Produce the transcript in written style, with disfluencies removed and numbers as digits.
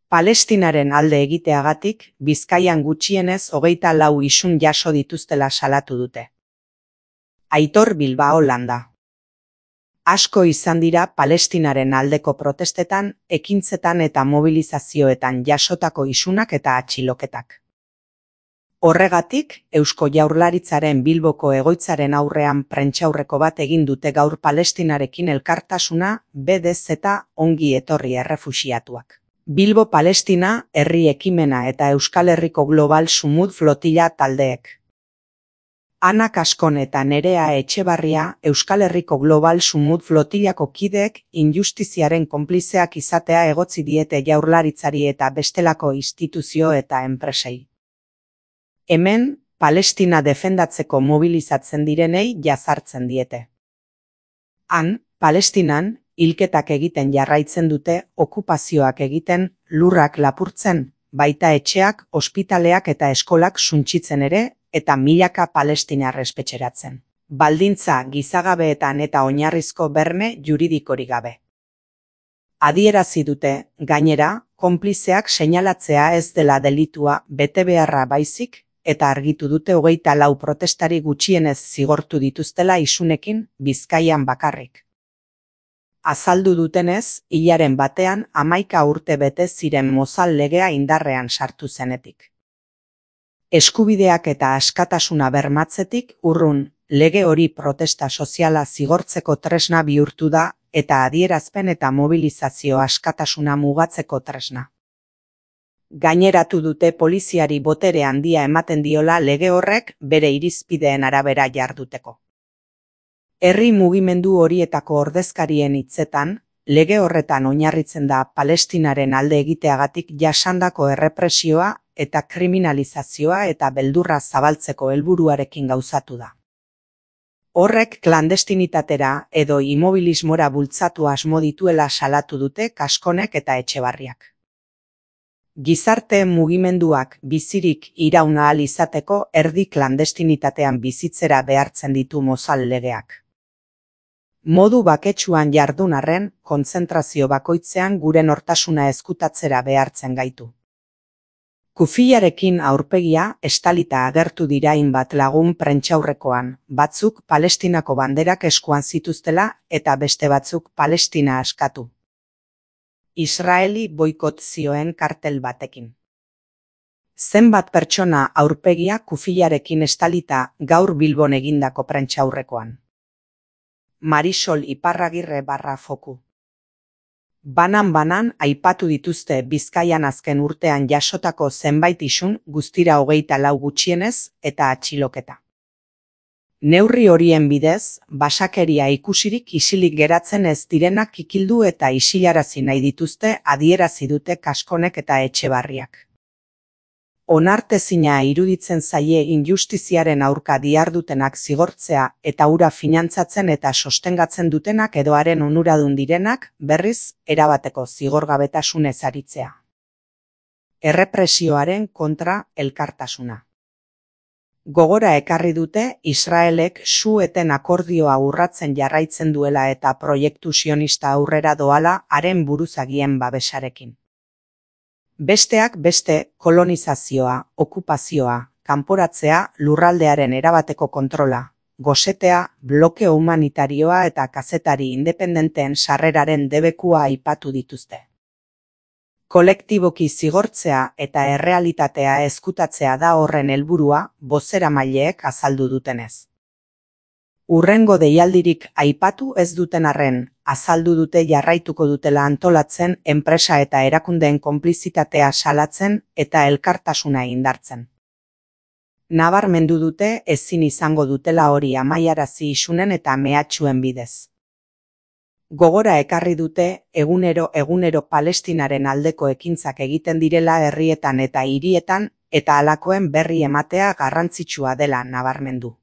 Palestinaren alde egiteagatik, Bizkaian gutxienez 24 isun jaso dituztela salatu dute. Aitor Bilbao Landa. Asko izan dira Palestinaren aldeko protestetan, ekintzetan eta mobilizazioetan jasotako isunak eta atxiloketak. Horregatik, Eusko Jaurlaritzaren Bilboko egoitzaren aurrean prentsaurreko bat egin dute gaur Palestinarekin elkartasuna BDZ ongi etorri errefuxiatuak. Bilbo Palestina, Herri Ekimena eta Euskal Herriko Global Sumud Flotilla taldeek. Ana Kaskon eta Nerea Etxebarria, Euskal Herriko Global Sumud Flotillako kideek injustiziaren konplizeak izatea egotzi diete Jaurlaritzari eta bestelako instituzio eta enpresei. Hemen, Palestina defendatzeko mobilizatzen direnei jazartzen diete. Han, Palestinan, hilketak egiten jarraitzen dute, okupazioak egiten, lurrak lapurtzen, baita etxeak, ospitaleak eta eskolak suntsitzen ere, eta milaka palestinar espetxeratzen. Baldintza gizagabeetan eta oinarrizko berme juridikorik gabe. Adierazi dute, gainera, konplizeak seinalatzea ez dela delitua betebeharra baizik, eta argitu dute 24 protestari gutxienez zigortu dituztela isunekin Bizkaian bakarrik. Azaldu dutenez, hilaren batean 11 urte bete ziren Mozal legea indarrean sartu zenetik. Eskubideak eta askatasuna bermatzetik urrun, lege hori protesta soziala zigortzeko tresna bihurtu da eta adierazpen eta mobilizazio askatasuna mugatzeko tresna. Gaineratu dute poliziari botere handia ematen diola lege horrek bere irizpideen arabera jarduteko. Herri mugimendu horietako ordezkarien hitzetan, lege horretan oinarritzen da Palestinaren alde egiteagatik jasandako errepresioa eta kriminalizazioa eta beldurra zabaltzeko helburuarekin gauzatu da. Horrek klandestinitatera edo immobilismora bultzatu asmo dituela salatu dute Kaskonek eta Etxebarriak. Gizarte mugimenduak bizirik iraun ahal izateko erdi klandestinitatean bizitzera behartzen ditu Mozal legeak. Modu baketsuan jardun arren, kontzentrazio bakoitzean gure nortasuna ezkutatzera behartzen gaitu. Kufiarekin aurpegia estalita agertu dira hainbat lagun prentsaurrekoan, batzuk Palestinako banderak eskuan zituztela eta beste batzuk Palestina askatu. Israeli boikot zioen kartel batekin. Zenbat pertsona aurpegia kufiarekin estalita gaur Bilbon egindako prentsaurrekoan. Marisol Iparragirre _foku. Banan aipatu dituzte Bizkaian azken urtean jasotako zenbait isun guztira 24 gutxienez eta atxiloketa. Neurri horien bidez, basakeria ikusirik isilik geratzen ez direnak kikildu eta isilarazi nahi dituzte adierazi dute Kaskonek eta Etxebarriak. Onartezina iruditzen zaie injustiziaren aurka dihardutenak zigortzea eta hura finantzatzen eta sostengatzen dutenak edo haren onuradun direnak berriz erabateko zigorgabetasunez aritzea. Errepresioaren kontra elkartasuna. Gogora ekarri dute Israelek su-eten akordioa urratzen jarraitzen duela eta proiektu sionista aurrera doala haren buruzagien babesarekin. Besteak beste kolonizazioa, okupazioa, kanporatzea, lurraldearen erabateko kontrola, gosetea, blokeo humanitarioa eta kazetari independenteen sarreraren debekua aipatu dituzte. Kolektiboki zigortzea eta errealitatea ezkutatzea da horren helburua, bozeramaileek azaldu dutenez. Hurrengo deialdirik aipatu ez duten arren, azaldu dute jarraituko dutela antolatzen enpresa eta erakundeen konplizitatea salatzen eta elkartasuna indartzen. Nabarmendu dute ezin izango dutela hori amaiarazi isunen eta mehatxuen bidez. Gogora ekarri dute egunero Palestinaren aldeko ekintzak egiten direla herrietan eta hirietan eta halakoen berri ematea garrantzitsua dela nabarmendu.